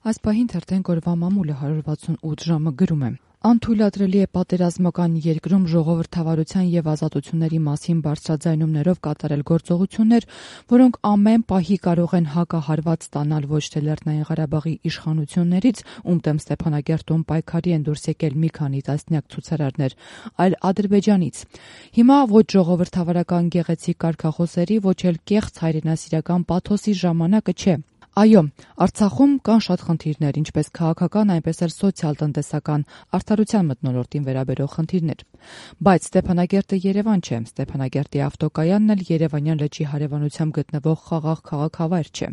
Այս պահին թերթենք օրվա մամուլը 168 ժամը գրում է. Անթույլատրելի է պատերազմական երկրում ժողովրդավարության եւ ազատությունների մասին բարձրաձայնումներով կատարել գործողություններ, որոնք ամեն պահի կարող են հակահարված ստանալ ոչ թե Լեռնային Ղարաբաղի իշխանություններից, ում դեմ Ստեփանագերտում պայքարի են դուրս եկել մի քանի տասնյակ ցուցարարներ, այլ Ադրբեջանից։ Հիմա ոչ ժողովրդավարական գեղեցիկ կարգախոսերի, ոչ էլ կեղծ հայրենասիրական պաթոսի ժամանակը չէ։ Այո, Արցախում կան շատ խնդիրներ, ինչպես քաղաքական, այնպես էլ սոցիալ-տնտեսական, արդարության մթնոլորտին վերաբերող խնդիրներ։ Բայց Ստեփանագերտը Երևան չէ, Ստեփանագերտի ավտոկայանն էլ Երևանյան լճի հարևանությամբ գտնվող խաղաղ քաղաքավայր չէ։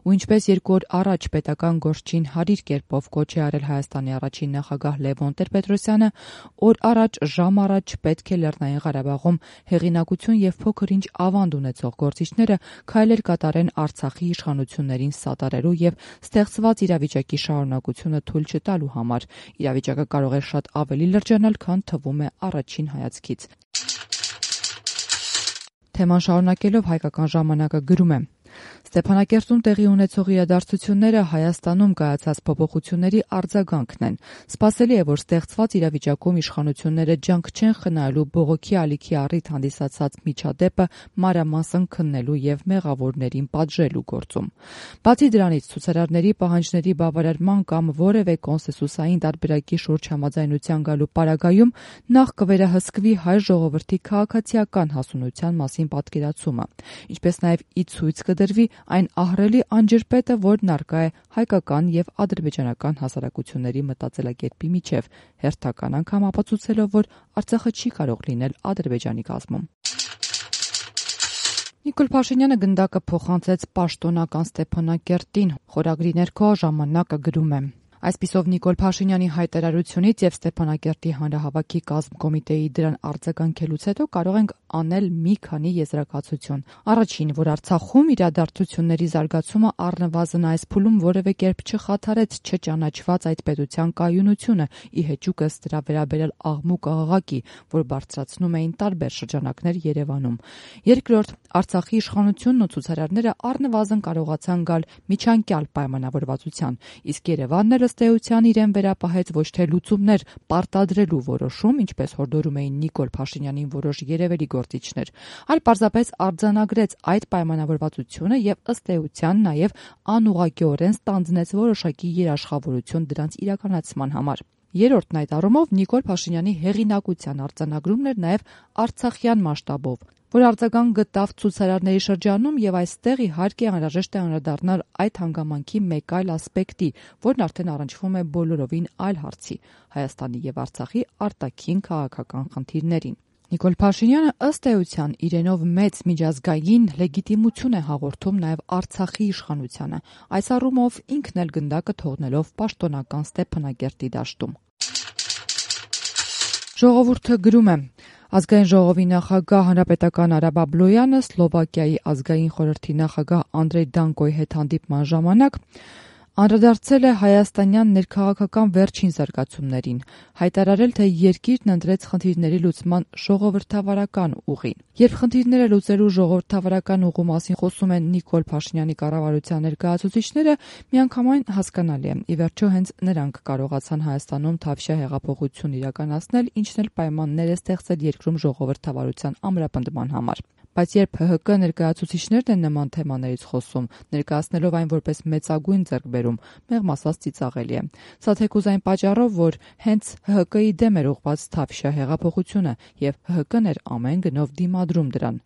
Ու ինչպես 2 օր առաջ պետական գործչին հարիր կերպով կոչ է արել Հայաստանի առաջին նախագահ Լևոն Տեր-Պետրոսյանը, օր առաջ, ժամ առաջ պետք է Լեռնային Ղարաբաղում հեղինակություն եւ փոքր-ինչ ավանդ ունեցող գործիչները քայլեր կատարեն Արցախի իշխանություններին սատարելու եւ ստեղծված իրավիճակի շարունակությունը թույլ չտալու համար։ Իրավիճակը կարող է շատ ավելի լրջանալ, քան թվում է առաջին հայացքից։ Թեման շարունակելով Հայկական ժամանակը գրում է. Ստեփանագերտում տեղի ունեցող իրադարձությունները Հայաստանում կայացած փոփոխությունների արձագանքն են։ Սպասելի է, որ ստեղծված իրավիճակում իշխանությունները ջանք չեն խնայելու բողոքի ալիքի առիթ հանդիսացած միջադեպը մանրամասն քննելու եւ մեղավորներին պատժելու գործում։ Բացի դրանից, ցուցարարների պահանջների բավարարման կամ որևէ կոնսենսուսային տարբերակի շուրջ համաձայնության գալու պարագայում նախ կվերահսկվի հայ ժողովրդի քաղաքացիական հասունության մասին պատկերացումը, ինչպես նաեւ ի ցույց կդրվի այն ահռելի անջրպետը, որն առկա է հայկական եւ ադրբեջանական հասարակությունների մտածելակերպի միջև, հերթական անգամ ապացուցելով, որ Արցախը չի կարող լինել Ադրբեջանի կազմում։ Նիկոլ Փաշինյանը գնդակը փոխանցեց պաշտոնական Ստեփանագերտին, խորագրի ներքո ժամանակը գրում է. Այսպիսով Նիկոլ Փաշինյանի հայտարարությունից եւ Ստեփանագերտի հանրահավաքի կազմկոմիտեի դրան արձագանքելուց հետո կարող ենք անել մի քանի եզրակացություն։ Առաջին, որ Արցախում իրադարձությունների զարգացումը առնվազն այս փուլում որևէ կերպ չխաթարեց չճանաչված այդ պետության կայունությունը, ի հեճուկս դրա վերաբերել աղմուկ աղաղակի, որ բարձրացնում էին տարբեր շրջանակներ Երևանում։ Երկրորդ, Արցախի իշխանությունն ու ցուցարարները առնվազն կարողացան գալ միջանկյալ պայմանավորվածության, իսկ Երևանն էլ ըստ էության իրեն վերապահեց ոչ թե լուծումներ պարտադրելու որոշում, ինչպես հորդորում էին Նիկոլ Փաշինյանին որոշ երևելի գործիչներ, այլ պարզապես արձանագրեց այդ պայմանավորվածությունը եւ ըստ էության նաեւ անուղղակիորեն ստանձնեց որոշակի երաշխավորություն դրանց իրականացման համար։ Երրորդն այդ առումով Նիկոլ Փաշինյանի հեղինակության արձանագրումն էր նաեւ արցախյան մասշտաբով, որ արձագանք գտավ ցուցարարների շրջանում եւ այստեղ իհարկե անհրաժեշտ է անդրադառնալ այդ հանգամանքի մեկ այլ ասպեկտի, որն արդեն առնչվում է բոլորովին այլ հարցի՝ Հայաստանի եւ Արցախի արտաքին քաղաքական խնդիրներին։ Նիկոլ Փաշինյանը ըստ էության իրենով մեծ միջազգային լեգիտիմություն է հաղորդում նաեւ Արցախի իշխանությանը, այս առումով ինքն էլ գնդակը թողնելով պաշտոնական Ստեփանագերտի դաշտում։ Ժողովուրդը գրում է. Ազգային ժողովի նախագահ հանրապետական Արա Բաբլոյանը Սլովակիայի ազգային խորհրդի նախագահ Անդրեյ Դանկոյի հետ հանդիպման ժամանակ անդրադարձել է հայաստանյան ներքաղաքական վերջին զարգացումներին, հայտարարել, թե երկիրն ընտրեց խնդիրների լուծման ժողովրդավարական ուղին։ Երբ խնդիրները լուծելու ժողովրդավարական ուղու մասին խոսում են Նիկոլ Փաշինյանի կառավարության ներկայացուցիչները, միանգամայն հասկանալի է։ Ի վերջո հենց նրանք կարողացան Հայաստանում թավշյա հեղափոխություն իրականացնել, ինչն էլ պայմաններ է ստեղծել երկրում ժողովրդավարության ամրապնդման համար։ Բայց երբ ՀՀԿ ներկայացուցիչներն են նման թեմաներից խոսում, ներկայացնելով այն որպես մեծագույն ձեռքբերում, մեղմ ասած ծիծաղելի է։ Սա թեկուզ այն պատճառով, որ հենց ՀՀԿ-ի դեմ էր ուղղված թավշյա հեղափոխությունը, եւ ՀՀԿ-ն էր ամեն գնով դիմադրում դրան։